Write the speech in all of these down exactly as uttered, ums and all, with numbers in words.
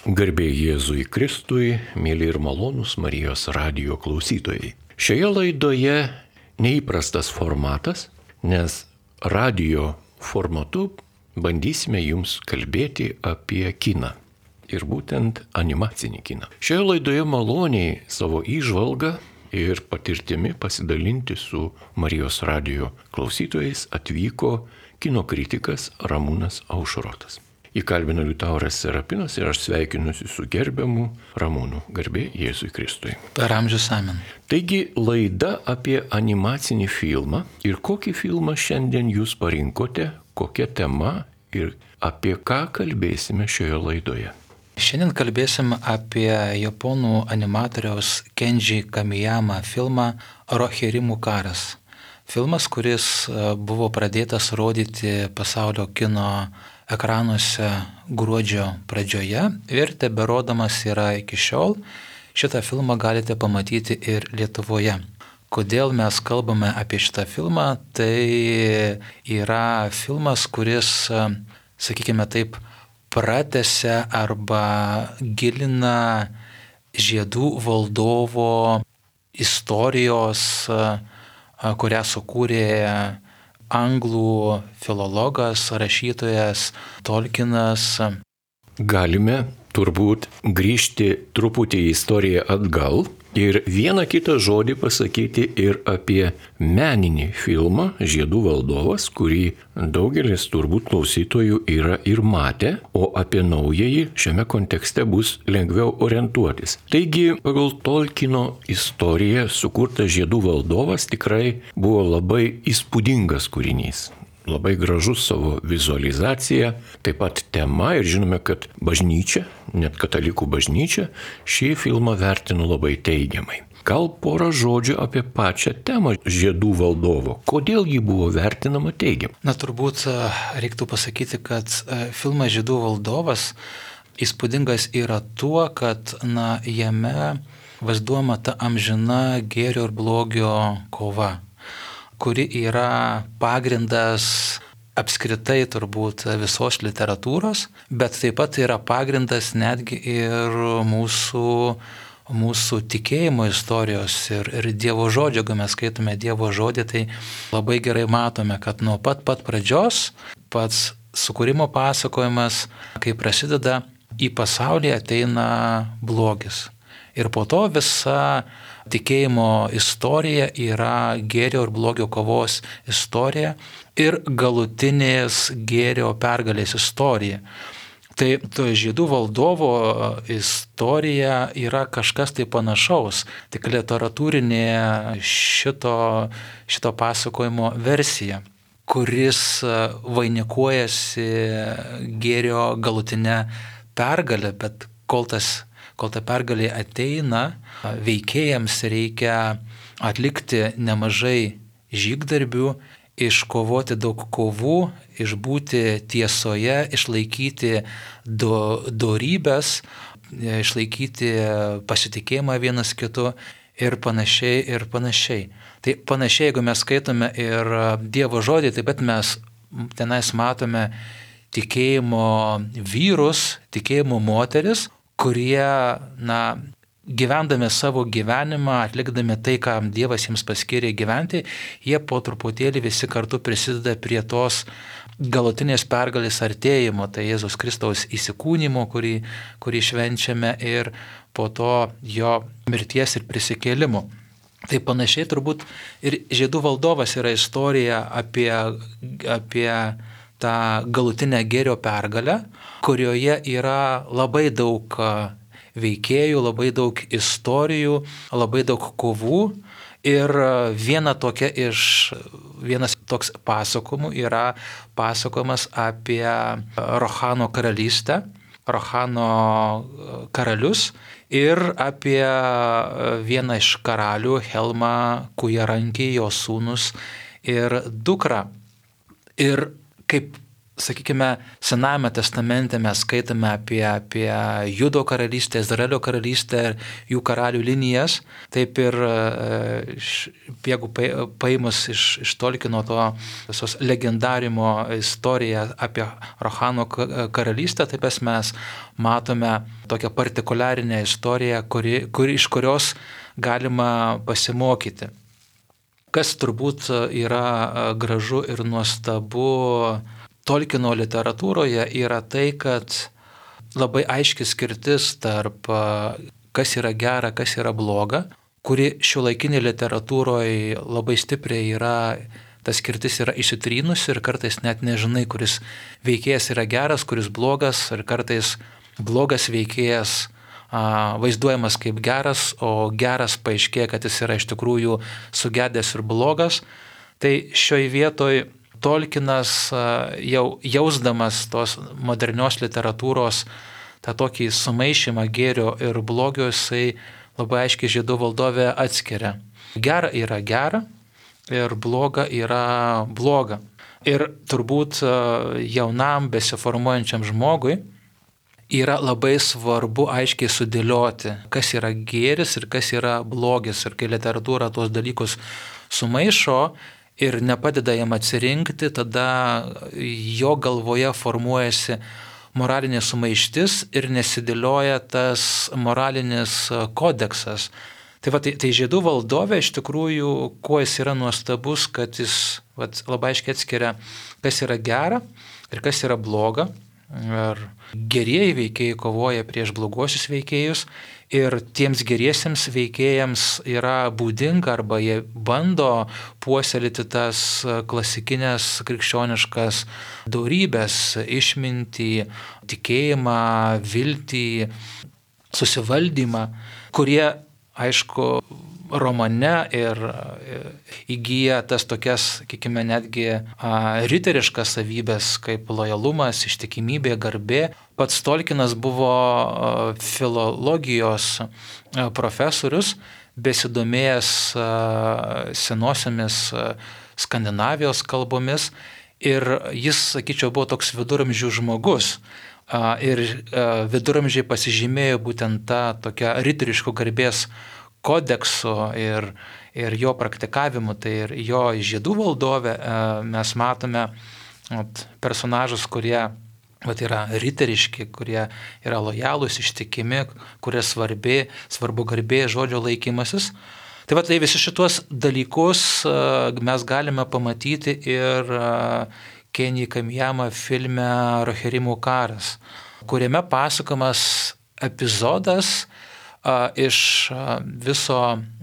Garbė Jėzui Kristui, mėly ir malonūs Marijos radijo klausytojai. Šioje laidoje neįprastas formatas, nes radijo formatu bandysime jums kalbėti apie kiną. Ir būtent animacinį kiną. Šioje laidoje maloniai savo įžvalgą ir patirtimi pasidalinti su Marijos radijo klausytojais atvyko kino kritikas Ramūnas Aušrotas. Įkalbino Liutauras Serapinas ir aš sveikinusi su gerbiamu Ramūnu. Garbė Jėzui Kristui. Per amžius amen. Taigi laida apie animacinį filmą. Ir kokį filmą šiandien jūs parinkote, kokia tema ir apie ką kalbėsime šioje laidoje? Šiandien kalbėsim apie japonų animatoriaus Kenji Kamiyama filmą Rohirrimų karas. Filmas, kuris buvo pradėtas rodyti pasaulio kino ekranuose gruodžio pradžioje ir teberodamas yra iki šiol. Šitą filmą galite pamatyti ir Lietuvoje. Kodėl mes kalbame apie šitą filmą? Tai yra filmas, kuris, sakykime taip, pratęsia arba gilina Žiedų valdovo istorijos, kurią sukūrė anglų filologas, rašytojas Tolkienas. Galime turbūt grįžti truputį į istoriją atgal ir vieną kitą žodį pasakyti ir apie meninį filmą Žiedų valdovas, kurį daugelis turbūt klausytojų yra ir matę, o apie naująjį šiame kontekste bus lengviau orientuotis. Taigi, pagal Tolkieno istoriją sukurtas Žiedų valdovas tikrai buvo labai įspūdingas kūrinys. Labai gražus savo vizualizacija, taip pat tema ir žinome, kad bažnyčia, net katalikų bažnyčia, šį filmą vertino labai teigiamai. Gal porą žodžių apie pačią temą Žiedų valdovo. Kodėl ji buvo vertinama teigiamai? Na, turbūt reiktų pasakyti, kad filmas Žiedų valdovas įspūdingas yra tuo, kad na, jame vaizduojama ta amžina gėrio ir blogio kova, kuri yra pagrindas apskritai turbūt visos literatūros, bet taip pat yra pagrindas netgi ir mūsų, mūsų tikėjimo istorijos ir, ir Dievo žodžio. Jeigu mes skaitome Dievo žodį, tai labai gerai matome, kad nuo pat pat pradžios pats sukūrimo pasakojimas, kai prasideda, į pasaulį ateina blogis. Ir po to visa tikėjimo istorija yra gėrio ir blogio kovos istorija ir galutinės gėrio pergalės istorija. Tai to Žiedų valdovo istorija yra kažkas tai panašaus, tik literatūrinė šito, šito pasakojimo versija, kuris vainikuojasi gėrio galutinę pergalę, bet kol tas Kol ta pergalė ateina, veikėjams reikia atlikti nemažai žygdarbių, iškovoti daug kovų, išbūti tiesoje, išlaikyti do, dorybės, išlaikyti pasitikėjimą vienas kitu ir panašiai ir panašiai. Tai panašiai, jeigu mes skaitome ir Dievo žodį, taip pat mes tenais matome tikėjimo vyrus, tikėjimo moteris, kurie, na, gyvendami savo gyvenimą, atlikdami tai, ką Dievas jiems paskyrė gyventi, jie po truputėlį visi kartu prisideda prie tos galutinės pergalės artėjimo, tai Jėzaus Kristaus įsikūnymo, kurį, kurį švenčiame, ir po to jo mirties ir prisikėlimo. Tai panašiai turbūt ir Žiedų valdovas yra istorija apie, apie tą galutinę gėrio pergalę, kurioje yra labai daug veikėjų, labai daug istorijų, labai daug kovų. Ir viena tokia iš, vienas toks pasakojimų yra pasakojimas apie Rohano karalystę, Rohano karalius ir apie vieną iš karalių, Helmą Kujarankį, jo sūnus ir dukrą. Ir kaip sakykime, Senajame testamente mes skaitame apie, apie Judo karalystę, Izraelio karalystę ir jų karalių linijas, taip ir jeigu paėmus iš, iš Tolkieno to visos legendarimo istoriją apie Rohano karalystę, taip mes matome tokią partikuliarinę istoriją, kuri, kuri, iš kurios galima pasimokyti. Kas turbūt yra gražu ir nuostabu Tolkieno literatūroje yra tai, kad labai aiški skirtis tarp kas yra gera, kas yra bloga, kuri šiuolaikinė literatūroje labai stipriai yra, ta skirtis yra įsitrynusi ir kartais net nežinai, kuris veikėjas yra geras, kuris blogas, ir kartais blogas veikėjas vaizduojamas kaip geras, o geras paaiškėja, kad jis yra iš tikrųjų sugedęs ir blogas. Tai šioje vietoje Tolkienas jau jausdamas tos modernios literatūros tą tokį sumaišymą gėrio ir blogio, jisai labai aiškiai Žiedų valdove atskiria. Gera yra gera ir bloga yra bloga. Ir turbūt jaunam besiformuojančiam žmogui yra labai svarbu aiškiai sudėlioti, kas yra gėris ir kas yra blogis. Ir kai literatūra tuos dalykus sumaišo ir nepadeda jam atsirinkti, tada jo galvoje formuojasi moralinė sumaištis ir nesidėlioja tas moralinis kodeksas. Tai, va, tai, tai Žiedų valdove iš tikrųjų, kuo jis yra nuostabus, kad jis va, labai aiškiai atskiria, kas yra gera ir kas yra bloga. Ir gerieji veikėjai kovoja prieš bloguosius veikėjus ir tiems geriesiems veikėjams yra būdinga arba jie bando puoselėti tas klasikinės krikščioniškas dorybės, išmintį, tikėjimą, viltį, susivaldymą, kurie, aišku, romane ir įgyja tas tokias, sakykime, netgi riteriškas savybės kaip lojalumas, ištikimybė, garbė. Pats Tolkienas buvo filologijos profesorius, besidomėjęs senosiamis Skandinavijos kalbomis ir jis, sakyčiau, buvo toks viduramžių žmogus. Ir viduramžiai pasižymėjo būtent tą tokią riteriškų garbės kodekso ir, ir jo praktikavimu. Tai ir jo Žiedų valdove mes matome at, personažus, kurie at, yra riteriški, kurie yra lojalūs, ištikimi, kurie svarbi, svarbu garbė, žodžio laikymasis. Tai, va, tai visi šitos dalykus mes galime pamatyti ir Kenji Kamijama filme Rohirrimų karas, kuriame pasakomas epizodas iš viso,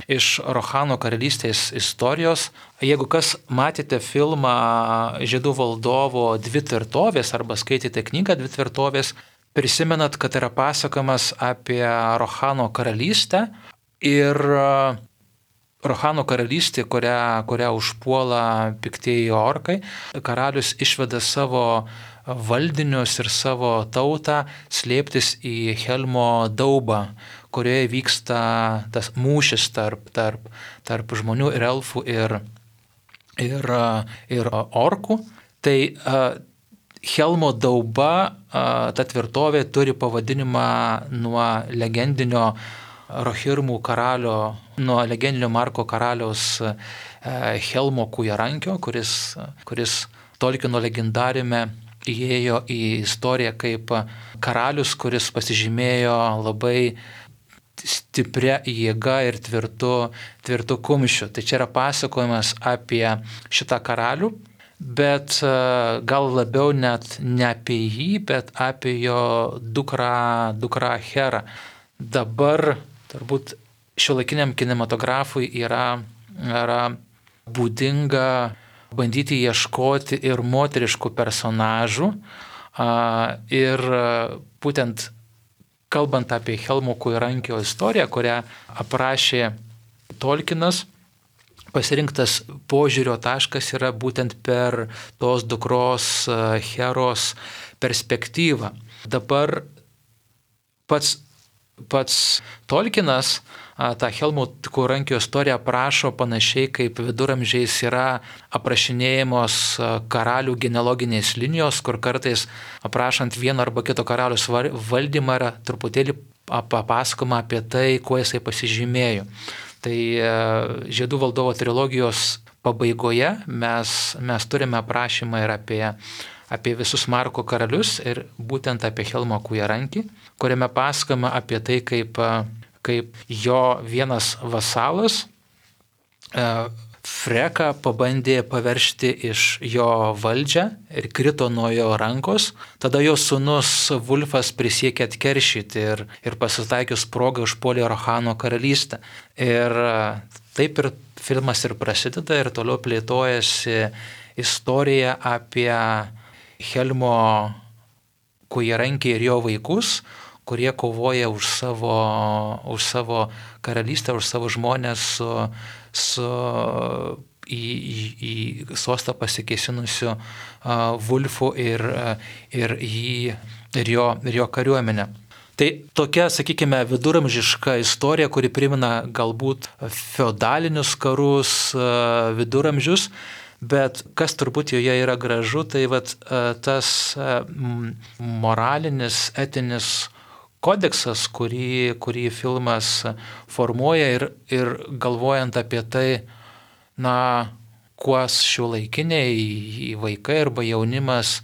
iš Rohano karalystės istorijos. Jeigu kas matėte filmą Žiedų valdovo Dvi tvirtovės arba skaitėte knygą Dvi tvirtovės, prisimenat, kad yra pasakomas apie Rohano karalystę ir Rohano karalystė, kurią, kurią užpuola piktieji orkai. Karalius išveda savo valdinius ir savo tautą slėptis į Helmo daubą, kurioje vyksta tas mūšis tarp, tarp, tarp žmonių ir elfų ir, ir, ir orkų. Tai uh, Helmo dauba, uh, ta tvirtovė, turi pavadinimą nuo legendinio Rohirrimų karalio, nuo legendinio Marko karaliaus uh, Helmo Kujarankio, kuris, kuris Tolkieno legendarime įėjo į istoriją kaip karalius, kuris pasižymėjo labai stipria jėga ir tvirtu, tvirtu kumščiu. Tai čia yra pasakojimas apie šitą karalių, bet gal labiau net ne apie jį, bet apie jo dukrą, dukrą Herą. Dabar turbūt šiuolaikiniam kinematografui yra, yra būdinga bandyti ieškoti ir moteriškų personažų ir būtent kalbant apie Helmo Kujarankio istoriją, kurią aprašė Tolkienas, pasirinktas požiūrio taškas yra būtent per tos dukros Heros perspektyvą. Dabar pats pats Tolkienas tą Helmuto Rankio istoriją aprašo panašiai, kaip viduramžiais yra aprašinėjamos karalių genealoginės linijos, kur kartais aprašant vieno arba kito karalius valdymą yra truputėlį papasakoma apie tai, kuo jisai pasižymėjo. Tai Žiedų valdovo trilogijos pabaigoje mes, mes turime aprašymą ir apie, apie visus Marko karalius ir būtent apie Helmą Kūjarankį, kuriame pasakoma apie tai, kaip kaip jo vienas vasalas e, Freką pabandė paveršti iš jo valdžią ir krito nuo jo rankos. Tada jo sūnus Vulfas prisiekė atkeršyti ir, ir pasitaikius progą užpuolė Rohano karalystę. Ir taip ir filmas ir prasideda ir toliau plėtojasi istorija apie Helmo Kūjarankį ir jo vaikus, kurie kovoja už savo, už savo karalystę, už savo žmonės su, su į, į, į sostą pasikėsinusiu uh, Vulfu ir, ir, jį, ir, jo, ir jo kariuomenę. Tai tokia, sakykime, viduramžiška istorija, kuri primena galbūt feodalinius karus, uh, viduramžius, bet kas turbūt joje yra gražu, tai vat, uh, tas uh, moralinis, etinis kodeksas, kurį, kurį filmas formuoja ir, ir galvojant apie tai, na, kuo šiuolaikiniai vaikai arba jaunimas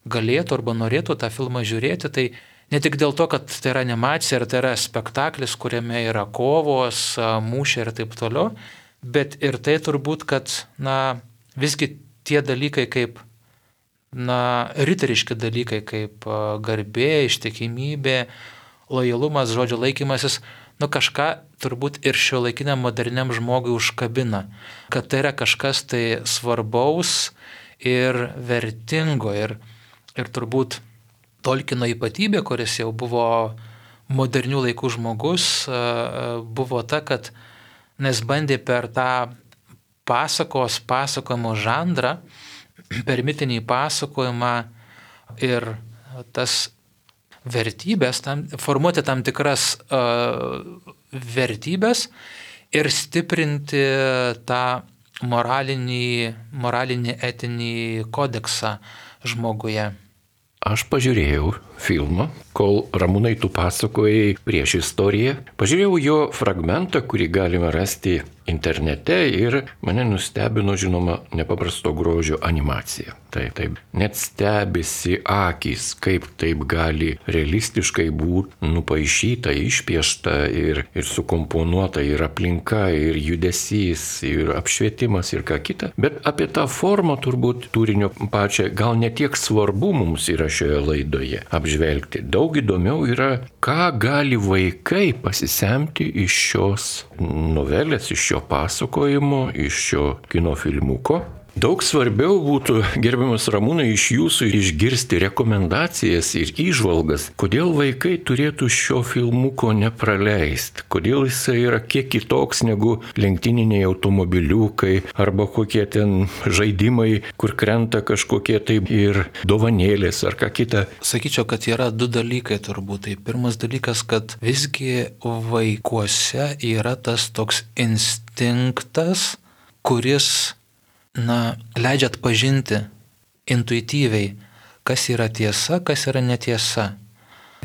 galėtų arba norėtų tą filmą žiūrėti, tai ne tik dėl to, kad tai yra animacija ar tai yra spektaklis, kuriame yra kovos, mūšiai ir taip toliau, bet ir tai turbūt, kad, na, visgi tie dalykai kaip, na, riteriški dalykai kaip garbė, ištikimybė, lojalumas, žodžio laikymasis, nu kažką turbūt ir šiuolaikiniam moderniam žmogui užkabina, kad tai yra kažkas tai svarbaus ir vertingo ir, ir turbūt Tolkieno ypatybė, kuris jau buvo modernių laikų žmogus, buvo ta, kad nes bandė per tą pasakos, pasakojimo žanrą, per mitinį pasakojimą ir tas vertybės, tam, formuoti tam tikras uh, vertybės ir stiprinti tą moralinį, moralinį etinį kodeksą žmoguje. Aš pažiūrėjau filmą, kol Ramūnai tu pasakojai prieš istoriją. Pažiūrėjau jo fragmentą, kurį galima rasti internete ir mane nustebino, žinoma, nepaprasto grožio animacija. Taip, taip. Net stebisi akys, kaip taip gali realistiškai būti nupaišyta, išpiešta ir, ir sukomponuota ir aplinka, ir judesys, ir apšvietimas, ir ką kita. Bet apie tą formą turbūt turinio pačią gal netiek svarbu mums yra šioje laidoje apžvelgti. Daug įdomiau yra, ką gali vaikai pasisemti iš šios novelės, iš šio pasakojimo, iš šio kino filmuko. Daug svarbiau būtų, gerbiamas Ramūnai, iš jūsų išgirsti rekomendacijas ir įžvalgas, kodėl vaikai turėtų šio filmuko nepraleisti, kodėl jisai yra kiek kitoks negu lenktyniniai automobiliukai arba kokie ten žaidimai, kur krenta kažkokie taip ir dovanėlės ar ką kita. Sakyčiau, kad yra du dalykai turbūt. Tai pirmas dalykas, kad visgi vaikuose yra tas toks instinktas, kuris na, leidžia atpažinti intuityviai, kas yra tiesa, kas yra netiesa.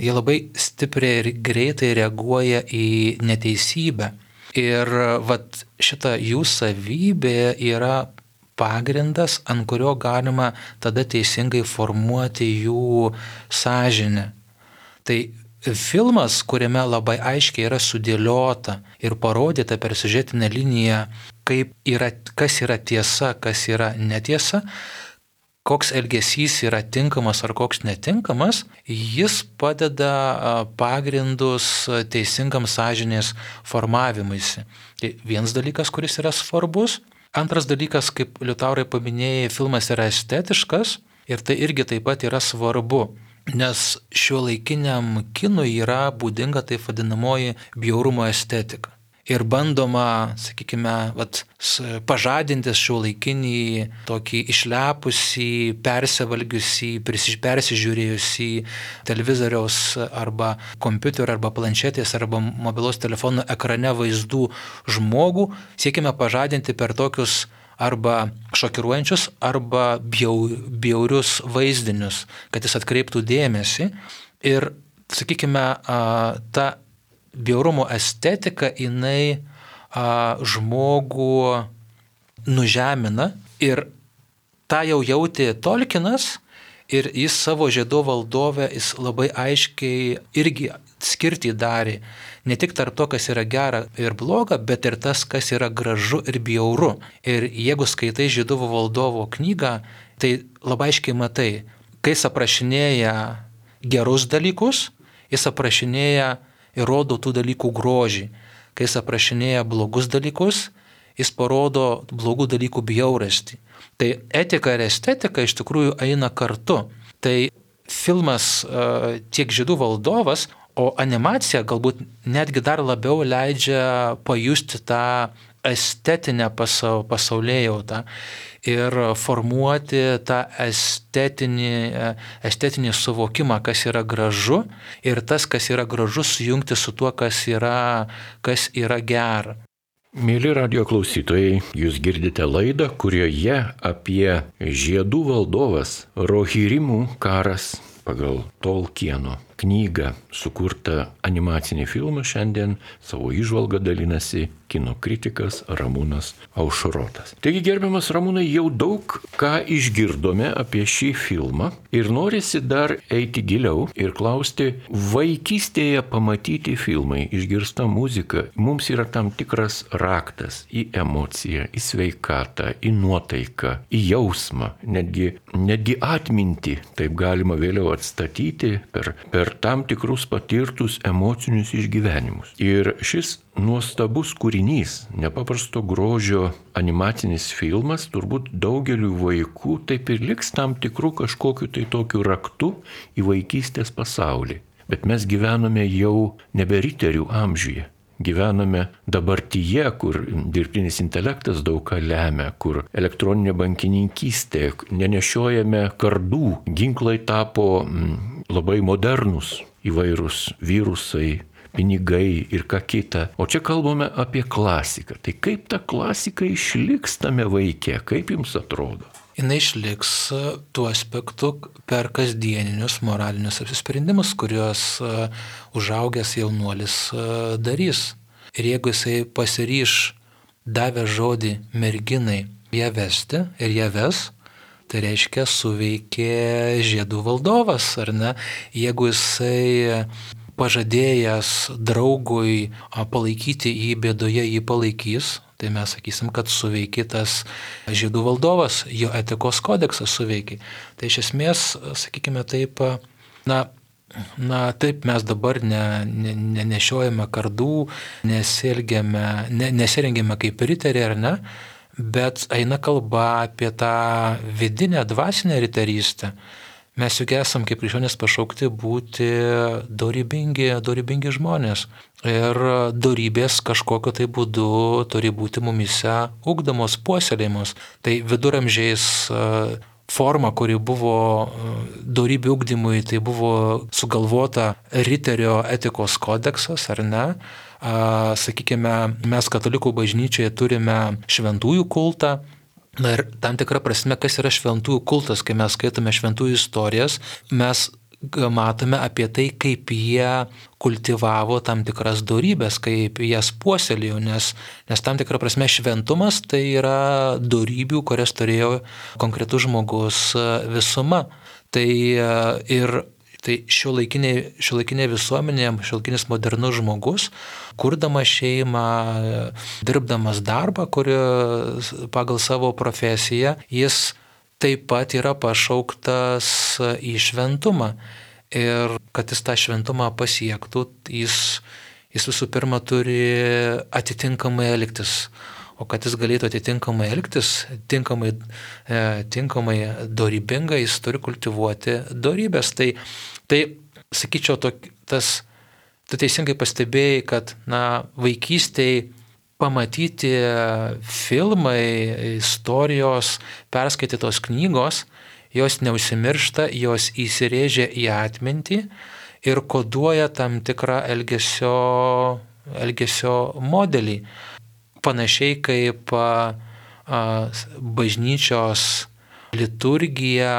Jie labai stipriai ir greitai reaguoja į neteisybę. Ir vat, šita jų savybė yra pagrindas, ant kurio galima tada teisingai formuoti jų sąžinę. Tai filmas, kuriame labai aiškiai yra sudėliota ir parodyta per siužetinę liniją, kaip yra, kas yra tiesa, kas yra netiesa, koks elgesys yra tinkamas ar koks netinkamas, jis padeda pagrindus teisingam sąžinės formavimuisi. Tai vienas dalykas, kuris yra svarbus. Antras dalykas, kaip Liutaurai paminėjai, filmas yra estetiškas ir tai irgi taip pat yra svarbu. Nes šiuolaikiniam kinui yra būdinga taip vadinamoji bjaurumo estetika. ir bandoma, sakykime, vat, pažadinti šiuolaikinį, tokį išlepusį, persivalgiusį, persižiūrėjusį televizoriaus arba kompiuterio arba planšetės arba mobilaus telefono ekrane vaizdų žmogų, siekime pažadinti per tokius arba šokiruojančius, arba bjau, bjaurius vaizdinius, kad jis atkreiptų dėmesį. Ir, sakykime, ta bjaurumo estetika, jinai a, žmogų nužemina ir tą jau jautė Tolkienas ir jis savo Žiedų valdove jis labai aiškiai irgi skirtį darė. Ne tik tarp to, kas yra gera ir bloga, bet ir tas, kas yra gražu ir bjauru. Ir jeigu skaitai Žiedų valdovo knygą, tai labai aiškiai matai, kai jis aprašinėja gerus dalykus, jis aprašinėja ir rodo tų dalykų grožį. Kai jis aprašinėja blogus dalykus, jis parodo blogų dalykų bjaurastį. Tai etika ir estetika iš tikrųjų eina kartu. Tai filmas tiek Žiedų valdovas, o animacija galbūt netgi dar labiau leidžia pajusti tą estetinę pasaulėjautą ir formuoti tą estetinį, estetinį suvokimą, kas yra gražu, ir tas, kas yra gražu, sujungti su tuo, kas yra, kas yra gera. Mėly radijo klausytojai, jūs girdite laidą, kurioje apie Žiedų valdovas Rohirrimų karas pagal Tolkieno knygą sukurtą animacinį filmą šiandien savo įžvalgą dalinasi kino kritikas Ramūnas Aušrotas. Taigi, gerbiamas Ramūnai, jau daug ką išgirdome apie šį filmą ir norisi dar eiti giliau ir klausti, vaikystėje pamatyti filmai, išgirsta muzika, mums yra tam tikras raktas į emociją, į sveikatą, į nuotaiką, į jausmą, netgi, netgi atmintį, taip galima vėliau atstatyti per, per tam tikrus patirtus emocinius išgyvenimus. Ir šis nuostabus kūrinys, nepaprasto grožio animacinis filmas, turbūt daugeliu vaikų taip ir liks tam tikrų kažkokiu tai tokiu raktu į vaikystės pasaulį. Bet mes gyvename jau nebe riterių amžiuje. Gyvename dabartyje, kur dirbtinis intelektas daug ką lemia, kur elektroninė bankininkystė, nenešiojame kardų, ginklai tapo mm, labai modernus, įvairūs virusai, pinigai ir ką kita. O čia kalbame apie klasiką. Tai kaip ta klasika išliks tame vaike, kaip jums atrodo? Jis išliks tuo aspektu per kasdieninius moralinius apsisprendimus, kuriuos užaugęs jaunuolis darys. Ir jeigu jisai pasiryš davę žodį merginai ją vesti ir ją ves, tai reiškia suveikė Žiedų valdovas, ar ne? Jeigu jisai pažadėjęs draugui palaikyti jį bėdoje, jį palaikys, tai mes sakysim, kad suveikė tas Žiedų valdovas, jo etikos kodeksas suveikė. Tai iš esmės, sakykime taip, na, na taip mes dabar ne, ne, nenešiojame kardų, nesielgiame, ne, nesirengėme kaip riteriai, ar ne, bet eina kalba apie tą vidinę dvasinę riterystę. Mes juk esam kaip krikščionys pašaukti būti dorybingi, dorybingi žmonės. Ir dorybės kažkokiu tai būdu turi būti mumise ugdomos, puoselėjimos. Tai viduramžiais forma, kuri buvo dorybių ugdymui, tai buvo sugalvota riterio etikos kodeksas, ar ne? Sakykime, mes katalikų bažnyčioje turime šventųjų kultą. Na ir tam tikra prasme, kas yra šventųjų kultas, kai mes skaitome šventųjų istorijas, mes matome apie tai, kaip jie kultivavo tam tikras dorybės, kaip jas puoselėjo, nes, nes tam tikra prasme šventumas tai yra dorybių, kurias turėjo konkretus žmogus visuma. Tai ir Tai šiuolaikinė, šiuolaikinė visuomenė, šiuolaikinis modernus žmogus, kurdamas šeimą, dirbdamas darbą, kurio pagal savo profesiją, jis taip pat yra pašauktas į šventumą. Ir kad jis tą šventumą pasiektų, jis, jis visų pirma turi atitinkamai elgtis. O kad jis galėtų atitinkamai elgtis, tinkamai, e, tinkamai dorybingai, jis turi kultivuoti dorybės. Tai, tai sakyčiau, to, tas tu teisingai pastebėjai, kad na, vaikystėje pamatyti filmai, istorijos, perskaitytos knygos, jos neužsimiršta, jos įsirėžia į atmintį ir koduoja tam tikrą elgesio, elgesio modelį. Panašiai kaip a, a, bažnyčios liturgija,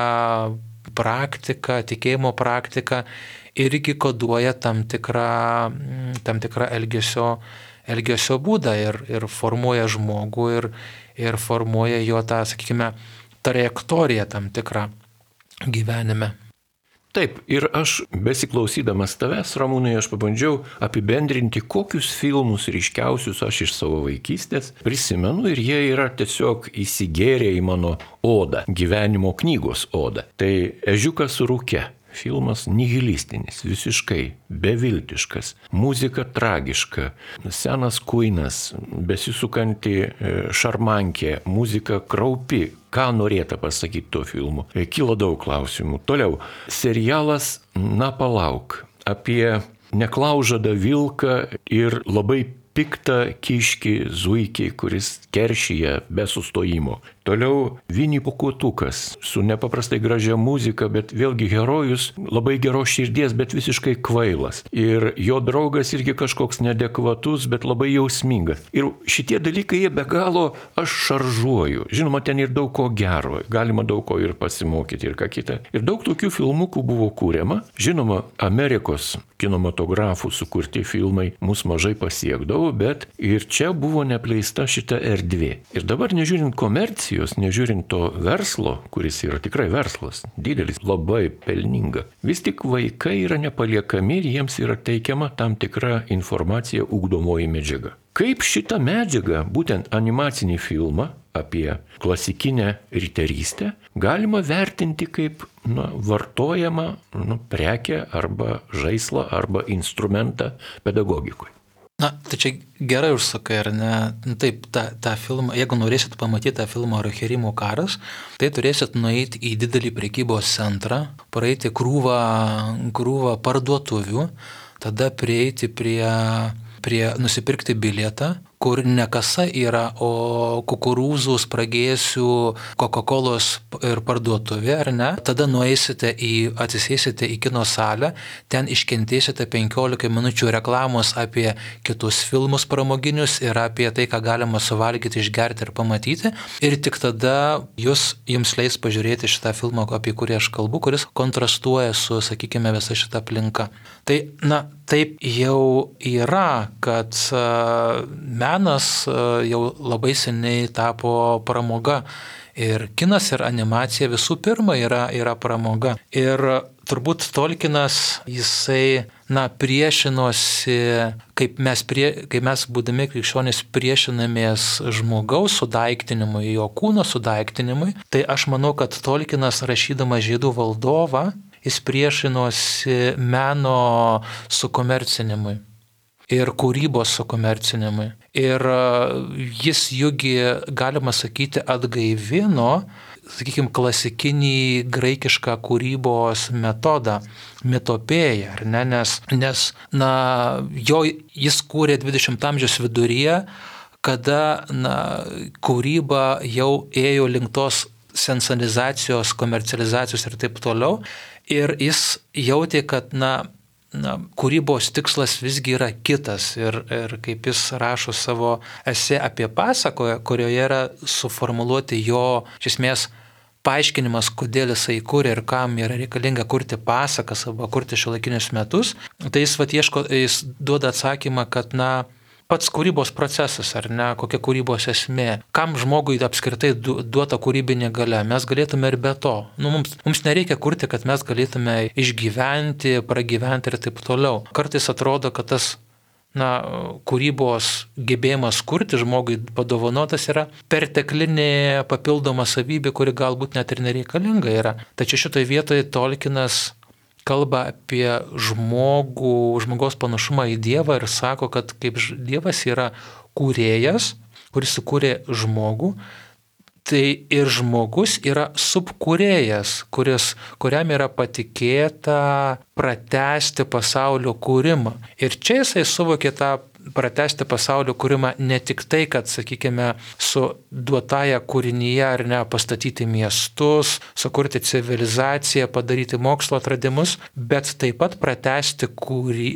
praktika, tikėjimo praktika irgi koduoja tam tikrą, tam tikrą elgesio, elgesio būdą ir, ir formuoja žmogų ir, ir formuoja jo tą, sakykime, trajektoriją tam tikrą gyvenime. Taip, ir aš besiklausydamas tavęs, Ramūnai, aš pabandžiau apibendrinti, kokius filmus ryškiausius aš iš savo vaikystės prisimenu ir jie yra tiesiog įsigėrę į mano odą, gyvenimo knygos odą. Tai Ežiukas rūke. Filmas nihilistinis, visiškai beviltiškas, muzika tragiška, senas kuinas, besisukanti šarmankė, muzika kraupi. Ką norėta pasakyti tuo filmu? Kilo daug klausimų. Toliau, serialas Na palauk, apie neklaužadą vilką ir labai piktą kiškį zuikį, kuris keršyje be sustojimo. Toliau Vinį Pūkuotukas su nepaprastai gražia muzika, bet vėlgi herojus labai geros širdies, bet visiškai kvailas. Ir jo draugas irgi kažkoks neadekvatus, bet labai jausmingas. Ir šitie dalykai jie be galo aš šaržuoju. Žinoma, ten ir daug ko gero, galima daug ko ir pasimokyti ir ką kitą. Ir daug tokių filmukų buvo kūriama. Žinoma, Amerikos kinematografų sukurti filmai mus mažai pasiekdavo, bet ir čia buvo nepleista šita erdvė. Ir dabar nežiūrint komercijos, nežiūrint to verslo, kuris yra tikrai verslas, didelis, labai pelninga, vis tik vaikai yra nepaliekami ir jiems yra teikiama tam tikra informacija, ugdomoji medžiaga. Kaip šitą medžiagą, būtent animacinį filmą apie klasikinę riterystę, galima vertinti kaip na, vartojamą nu, prekę arba žaislą arba instrumentą pedagogikui? Na, tai čia gerai užsakai, ar ne? Taip, tą, tą filmą, jeigu norėsit pamatyti tą filmą Rohirrimų karas, tai turėsit nueiti į didelį prekybos centrą, praeiti krūvą, krūvą parduotuvių, tada prieiti prie, prie nusipirkti bilietą, kur ne kasa yra, o kukurūzų, spragėsių, Coca-Colos ir parduotuvė, ar ne? Tada nueisite į, atsisėsite į kino salę, ten iškentėsite penkiolika minučių reklamos apie kitus filmus pramoginius ir apie tai, ką galima suvalgyti, išgerti ir pamatyti. Ir tik tada jūs, jums leis pažiūrėti šitą filmą, apie kurį aš kalbu, kuris kontrastuoja su, sakykime, visa šita aplinka. Tai, na, taip jau yra, kad uh, menas uh, jau labai seniai tapo pramoga. Ir kinas ir animacija visų pirma yra, yra pramoga. Ir turbūt Tolkienas, jisai, na, priešinosi, kaip mes, prie, kaip mes būdami krikščionys priešinamės žmogaus sudaiktinimui, jo kūno sudaiktinimui, tai aš manau, kad Tolkienas rašydamas Žiedų valdovą, jis priešinosi meno sukomercinimui ir kūrybos sukomercinimui. Ir jis jugi, galima sakyti, atgaivino, sakykime, klasikinį graikišką kūrybos metodą, mitopėją, ar ne? Nes, nes na, jo, jis kūrė dvidešimto amžiaus viduryje, kada na, kūryba jau ėjo link tos sensorizacijos, komercializacijos ir taip toliau. Ir jis jautė, kad na, na, kūrybos tikslas visgi yra kitas. Ir, ir kaip jis rašo savo esė apie pasaką, kurioje yra suformuluoti jo, iš esmės, paaiškinimas, kodėl jisai kūrė ir kam yra reikalinga kurti pasakas arba kurti šiuolaikinius metus, tai jis, vat, ieško, jis duoda atsakymą, kad na, pats kūrybos procesas, ar ne, kokia kūrybos esmė, kam žmogui apskritai duota kūrybinė galia, mes galėtume ir be to. Nu, mums, mums nereikia kurti, kad mes galėtume išgyventi, pragyventi ir taip toliau. Kartais atrodo, kad tas na, kūrybos gebėjimas kurti žmogui padovanotas yra perteklinė papildoma savybė, kuri galbūt net ir nereikalinga yra. Tačiau šitoje vietoje Tolkienas kalba apie žmogų, žmogaus panašumą į Dievą ir sako, kad kaip Dievas yra kūrėjas, kuris sukūrė žmogų, tai ir žmogus yra subkūrėjas, kuris, kuriam yra patikėta pratęsti pasaulio kūrimą. Ir čia jisai suvokė tą pratęsti pasaulio kūrimą ne tik tai, kad, sakykime, su duotąja kūrinyje ar ne pastatyti miestus, sukurti civilizaciją, padaryti mokslo atradimus, bet taip pat pratęsti kūry,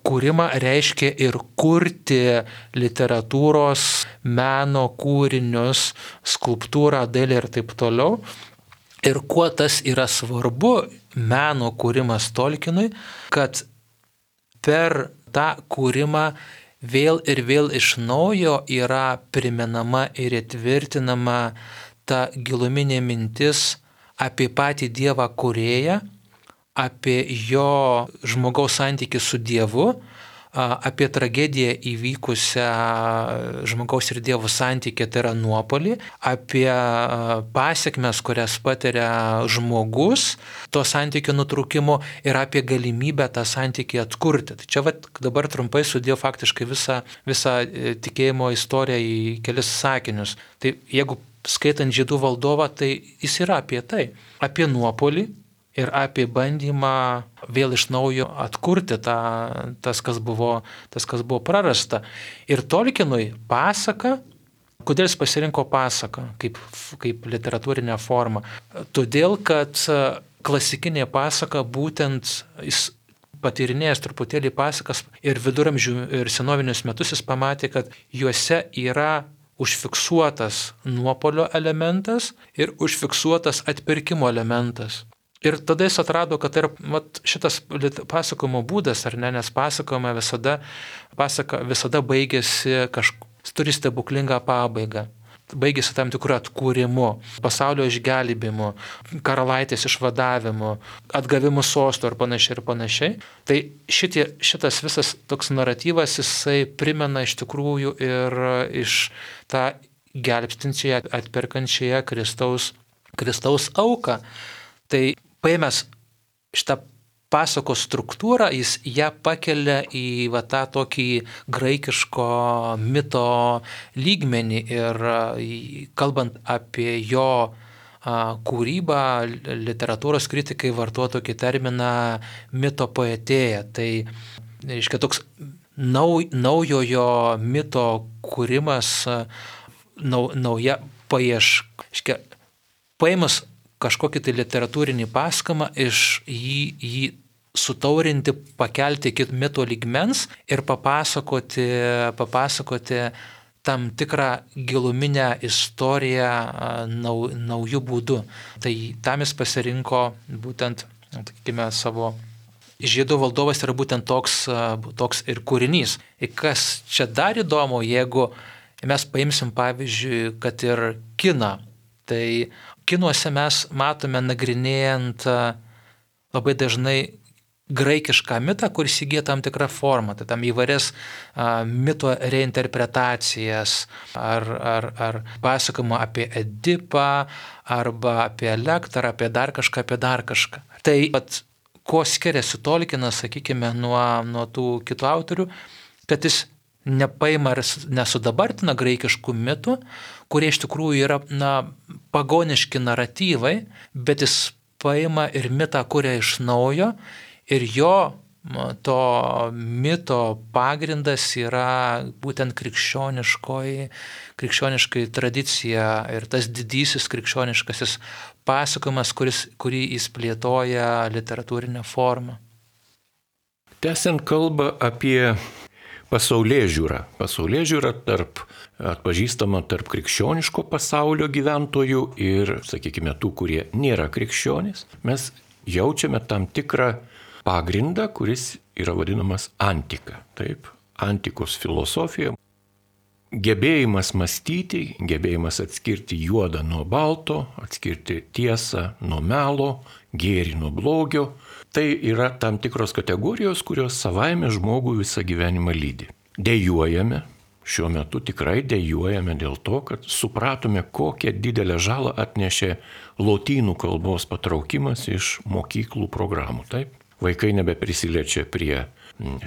kūrimą reiškia ir kurti literatūros, meno kūrinius, skulptūrą, dailę ir taip toliau. Ir kuo tas yra svarbu, meno kūrimas Tolkienui, kad per tą kūrimą vėl ir vėl iš naujo yra primenama ir įtvirtinama ta giluminė mintis apie patį Dievą kūrėją, apie jo žmogaus santykį su Dievu, apie tragediją įvykusią žmogaus ir Dievo santykį, tai yra nuopolį, apie pasiekmes, kurias patiria žmogus to santykio nutrūkimo ir apie galimybę tą santykį atkurti. Tai čia vat, dabar trumpai sudėjau faktiškai visą, visą tikėjimo istoriją į kelis sakinius. Tai jeigu skaitant Žiedų valdovą, tai jis yra apie tai, apie nuopolį ir apie bandymą vėl iš naujo atkurti tą, tas, kas buvo, tas, kas buvo prarasta. Ir Tolkienui pasaka, kodėl jis pasirinko pasaką kaip, kaip literatūrinę formą? Todėl, kad klasikinė pasaka būtent jis patyrinėjęs truputėlį pasakas ir viduramžių ir senovinius metus jis pamatė, kad juose yra užfiksuotas nuopolio elementas ir užfiksuotas atpirkimo elementas. Ir tada jis atrado, kad tai yra vat, šitas pasakojimo būdas, ar ne, nes pasakojama visada, pasaka visada baigėsi kažkuo, turi stebuklingą pabaigą. Baigėsi tam tikrų atkūrimu, pasaulio išgelbėjimu, karalaitės išvadavimu, atgavimu sosto ir panašiai ir panašiai. Tai šitie, šitas visas toks naratyvas, jisai primena iš tikrųjų ir iš tą gelbstinčiąją, atperkančiąją Kristaus, Kristaus auką. Tai paėmęs šitą pasakos struktūrą, jis ją pakelia į va, tą tokį graikiško mito lygmenį ir kalbant apie jo kūrybą, literatūros kritikai vartoja tokį terminą mito poetėja. Tai reiškia toks nau, naujojo mito kūrimas, nau, nauja paieška. Paėmus kažkokį tai literatūrinį paskamą, iš jį, jį sutaurinti, pakelti iki mito lygmens ir papasakoti, papasakoti tam tikrą giluminę istoriją nau, naujų būdų. Tai tam jis pasirinko būtent, sakykime, savo Žiedų valdovas yra būtent toks, toks ir kūrinys. Ir kas čia dar įdomu, jeigu mes paimsim pavyzdžiui, kad ir kiną, tai kinuose mes matome nagrinėjant labai dažnai graikišką mitą, kuris įgyja tam tikrą formą, tai tam įvairias a, mito reinterpretacijas ar, ar, ar pasakojimą apie Edipą arba apie Elektrą, apie dar kažką, apie dar kažką. Tai pat, kuo skiriasi Tolkienas, sakykime, nuo, nuo tų kitų autorių, kad jis nepaima ir nesudabartina graikiškų mitų, kurie iš tikrųjų yra na, pagoniški naratyvai, bet jis paima ir mitą kuria iš naujo ir jo to mito pagrindas yra būtent krikščioniškoji, krikščioniškai tradicija ir tas didysis krikščioniškasis pasakojimas, kuris, kurį jis plėtoja literatūrinę formą. Tęsiant kalbą apie pasaulėžiūra. Pasaulėžiūra tarp, atpažįstama tarp krikščioniško pasaulio gyventojų ir, sakykime, tų, kurie nėra krikščionys. Mes jaučiame tam tikrą pagrindą, kuris yra vadinamas antika. Taip, antikos filosofija. Gebėjimas mąstyti, gebėjimas atskirti juodą nuo balto, atskirti tiesą nuo melo, gėrį nuo blogio. Tai yra tam tikros kategorijos, kurios savaime žmogų visą gyvenimą lydi. Dejuojame, šiuo metu tikrai dejuojame dėl to, kad supratome, kokią didelę žalą atnešė lotynų kalbos patraukimas iš mokyklų programų. Taip? Vaikai nebeprisiliečia prie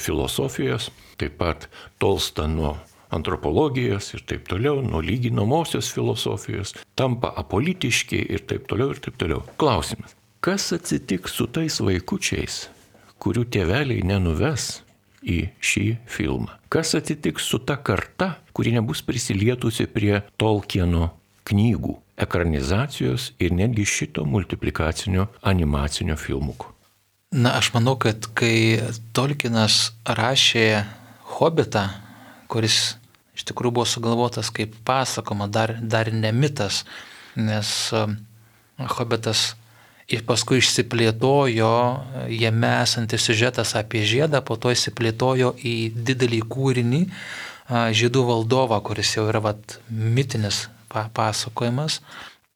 filosofijos, taip pat tolsta nuo antropologijos ir taip toliau, nuo lyginamosios filosofijos, tampa apolitiški ir taip toliau ir taip toliau. Klausimas. Kas atsitiks su tais vaikučiais, kurių tėveliai nenuves į šį filmą? Kas atsitiks su ta karta, kuri nebus prisilietusi prie Tolkieno knygų, ekranizacijos ir netgi šito multiplikacinio animacinio filmuko? Na, aš manau, kad kai Tolkienas rašė Hobitą, kuris iš tikrųjų buvo sugalvotas kaip pasakoma, dar, dar ne mitas, nes Hobitas ir paskui išsiplėtojo, jame esantis siužetas apie žiedą, po to išsiplėtojo į didelį kūrinį Žiedų valdovą, kuris jau yra vat, mitinis pasakojimas.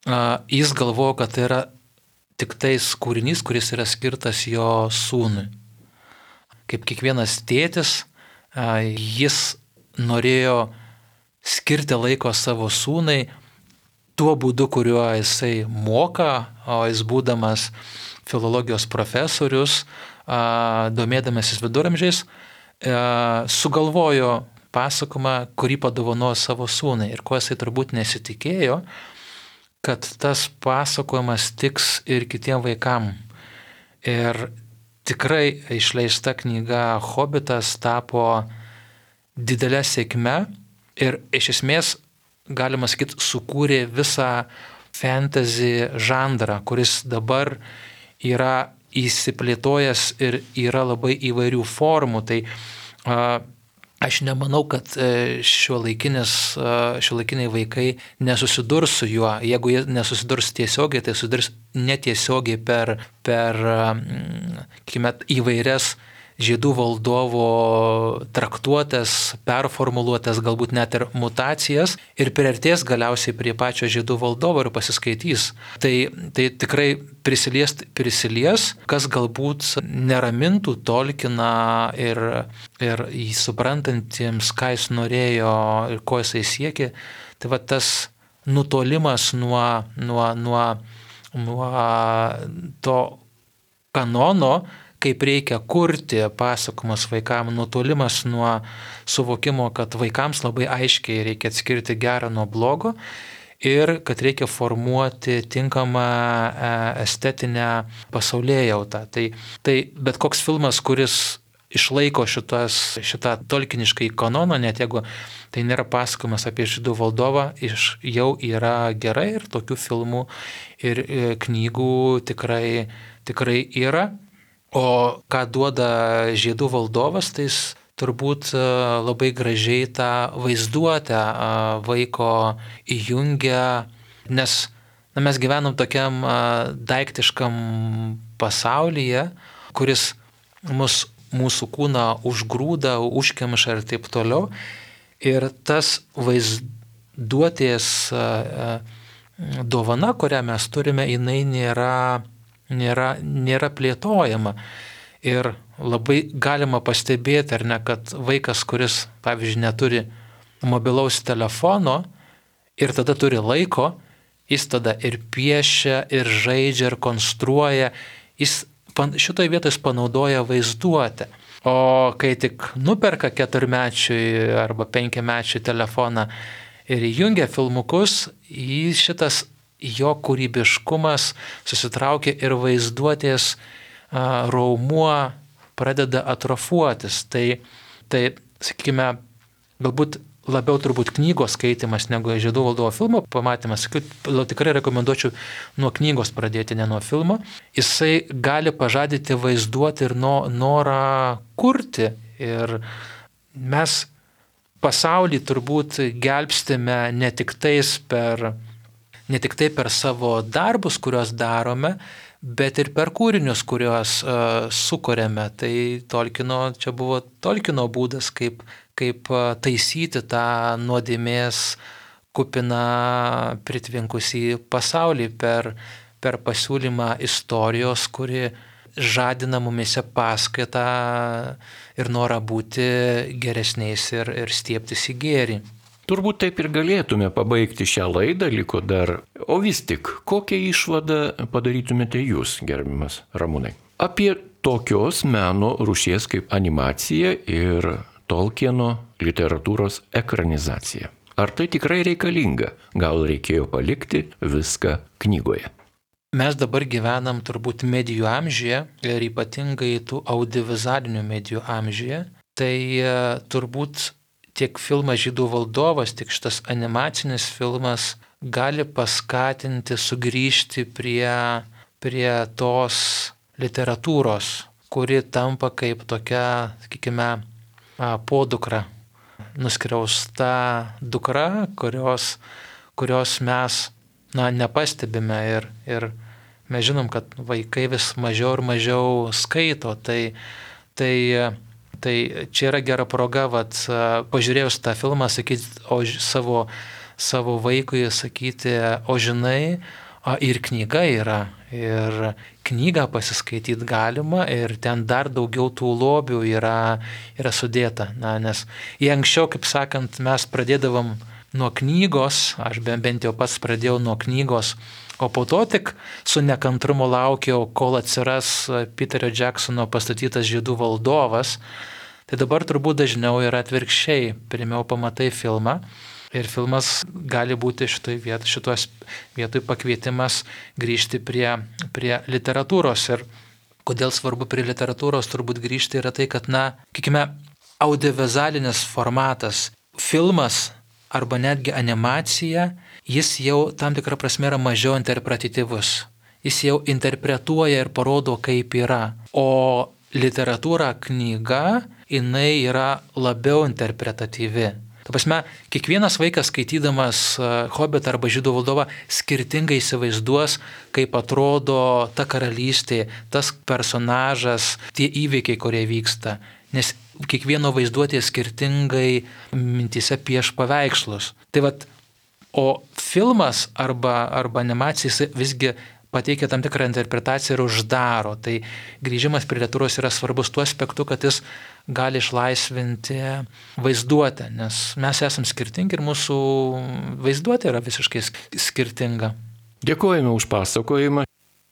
Jis galvojo, kad tai yra tik tais kūrinys, kuris yra skirtas jo sūnui. Kaip kiekvienas tėtis, jis norėjo skirti laiko savo sūnai tuo būdu, kuriuo jisai moka, o jis būdamas filologijos profesorius, domėdamasis viduramžiais, sugalvojo pasakojimą, kurį padovanojo savo sūnai. Ir ko jisai turbūt nesitikėjo, kad tas pasakojimas tiks ir kitiem vaikam. Ir tikrai išleista knyga Hobitas tapo didelė sėkme ir iš esmės, galima sakyti, sukūrė visą fantasy žanrą, kuris dabar yra įsiplėtojęs ir yra labai įvairių formų. Tai a, aš nemanau, kad šiuolaikiniai vaikai nesusidurs su juo. Jeigu jie nesusidurs tiesiogiai, tai susidurs netiesiogiai per, per kime, įvairias Žiedų valdovo traktuotės, performuluotės, galbūt net ir mutacijas ir priartės galiausiai prie pačio Žiedų valdovo ir pasiskaitys. Tai, tai tikrai prisilies, prisilies, kas galbūt neramintų Tolkieną ir, ir jį suprantantiems, ką jis norėjo ir ko jisai siekė. Tai va tas nutolimas nuo, nuo, nuo, nuo to kanono, kaip reikia kurti pasakojimus vaikams, nutolimas nuo suvokimo, kad vaikams labai aiškiai reikia atskirti gerą nuo blogo ir kad reikia formuoti tinkamą estetinę pasaulėjautą. Tai, tai bet koks filmas, kuris išlaiko šitas, šitą tolkiniškai kanoną, net jeigu tai nėra pasakojimas apie Žiedų valdovą, iš, jau yra gerai ir tokių filmų ir knygų tikrai, tikrai yra. O ką duoda Žiedų valdovas, tai jis turbūt labai gražiai tą vaizduotę vaiko įjungia, nes na, mes gyvenam tokiam daiktiškam pasaulyje, kuris mus, mūsų kūną užgrūda, užkemša ir taip toliau. Ir tas vaizduotės dovana, kurią mes turime, jinai nėra Nėra, nėra plėtojama. Ir labai galima pastebėti, ar ne, kad vaikas, kuris, pavyzdžiui, neturi mobilaus telefono ir tada turi laiko, jis tada ir piešia, ir žaidžia, ir konstruoja, jis šitoje vietoje panaudoja vaizduotę. O kai tik nuperka keturmečiui arba penkiamečiui telefoną ir įjungia filmukus, jis šitas jo kūrybiškumas susitraukia ir vaizduotės a, raumuo pradeda atrofuotis. Tai, tai, sakykime, galbūt labiau turbūt knygos skaitimas negu Žiedų valdovo filmo pamatymas. Tikrai rekomenduočiau nuo knygos pradėti, ne nuo filmo. Jisai gali pažadyti vaizduoti ir no, norą kurti. Ir mes pasaulį turbūt gelbstime ne tik tais per ne tik tai per savo darbus, kuriuos darome, bet ir per kūrinius, kuriuos uh, sukuriame. Tai Tolkieno, čia buvo Tolkieno būdas, kaip, kaip uh, taisyti tą nuodėmės kupiną pritvinkusį pasaulį per, per pasiūlymą istorijos, kuri žadina mumise paskaitą ir norą būti geresniais ir, ir stiebtis į gėrį. Turbūt taip ir galėtume pabaigti šią laidą, liko dar. O vis tik, kokią išvadą padarytumėte jūs, gerbiamas Ramūnai, apie tokios meno rūšies kaip animacija ir Tolkieno literatūros ekranizacija. Ar tai tikrai reikalinga? Gal reikėjo palikti viską knygoje? Mes dabar gyvenam turbūt medijų amžiuje ir ypatingai tų audiovizualinių medijų amžiuje. Tai turbūt tiek filmas Žydų valdovas, tiek šitas animacinis filmas gali paskatinti sugrįžti prie, prie tos literatūros, kuri tampa kaip tokia, sakykime, podukra, nuskriausta dukra, kurios, kurios mes na, nepastebime ir, ir mes žinom, kad vaikai vis mažiau ir mažiau skaito, tai, tai, tai čia yra gera proga, vat, pažiūrėjus tą filmą, sakyti o, savo, savo vaikui, sakyti, o žinai, o, ir knyga yra, ir knygą pasiskaityti galima, ir ten dar daugiau tų lobių yra, yra sudėta, na, nes jei anksčiau, kaip sakant, mes pradėdavom nuo knygos, aš bent jau pats pradėjau nuo knygos, o po to tik su nekantrumu laukiau, kol atsiras Peterio Jacksono pastatytas Žydų valdovas, tai dabar turbūt dažniau yra atvirkščiai. Pirmiau pamatai filmą ir filmas gali būti šitoj viet, šitos vietoj pakvietimas grįžti prie, prie literatūros. Ir kodėl svarbu prie literatūros turbūt grįžti yra tai, kad, na, kiekime, audiovizualinis formatas, filmas, arba netgi animacija, jis jau tam tikrą prasme yra mažiau interpretatyvus. Jis jau interpretuoja ir parodo, kaip yra. O literatūra, knyga, jinai yra labiau interpretatyvi. Ta prasme, kiekvienas vaikas skaitydamas Hobitą arba Žydų valdovą skirtingai įsivaizduos, kaip atrodo ta karalystė, tas personažas, tie įvykiai, kurie vyksta. Nes kiekvieno vaizduotė skirtingai mintyse pieš paveikslus. Tai vat, o filmas arba, arba animacija visgi pateikia tam tikrą interpretaciją ir uždaro. Tai grįžimas prie literatūros yra svarbus tuo aspektu, kad jis gali išlaisvinti vaizduotę, nes mes esam skirtingi ir mūsų vaizduotė yra visiškai skirtinga. Dėkojame už pasakojimą.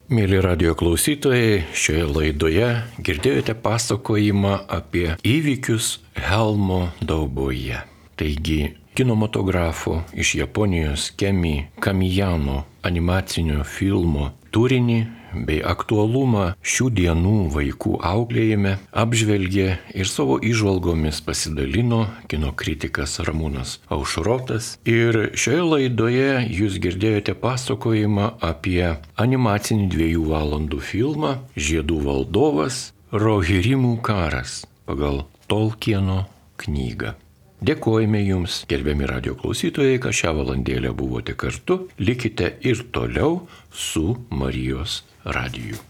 Mėly radijo klausytojai, šioje laidoje girdėjote pasakojimą apie įvykius Helmo dauboje. Taigi, kinematografo iš Japonijos Kemi Kamijano animacinio filmo turinį bei aktualumą šių dienų vaikų auklėjime apžvelgė ir savo įžvalgomis pasidalino kino kritikas Ramūnas Aušrotas. Ir šioje laidoje jūs girdėjote pasakojimą apie animacinį dviejų valandų filmą Žiedų valdovas Rohirrimų karas pagal Tolkieno knygą. Dėkojame Jums, gerbiami radijo klausytojai, kad šią valandėlę buvote kartu. Likite ir toliau su Marijos radiju.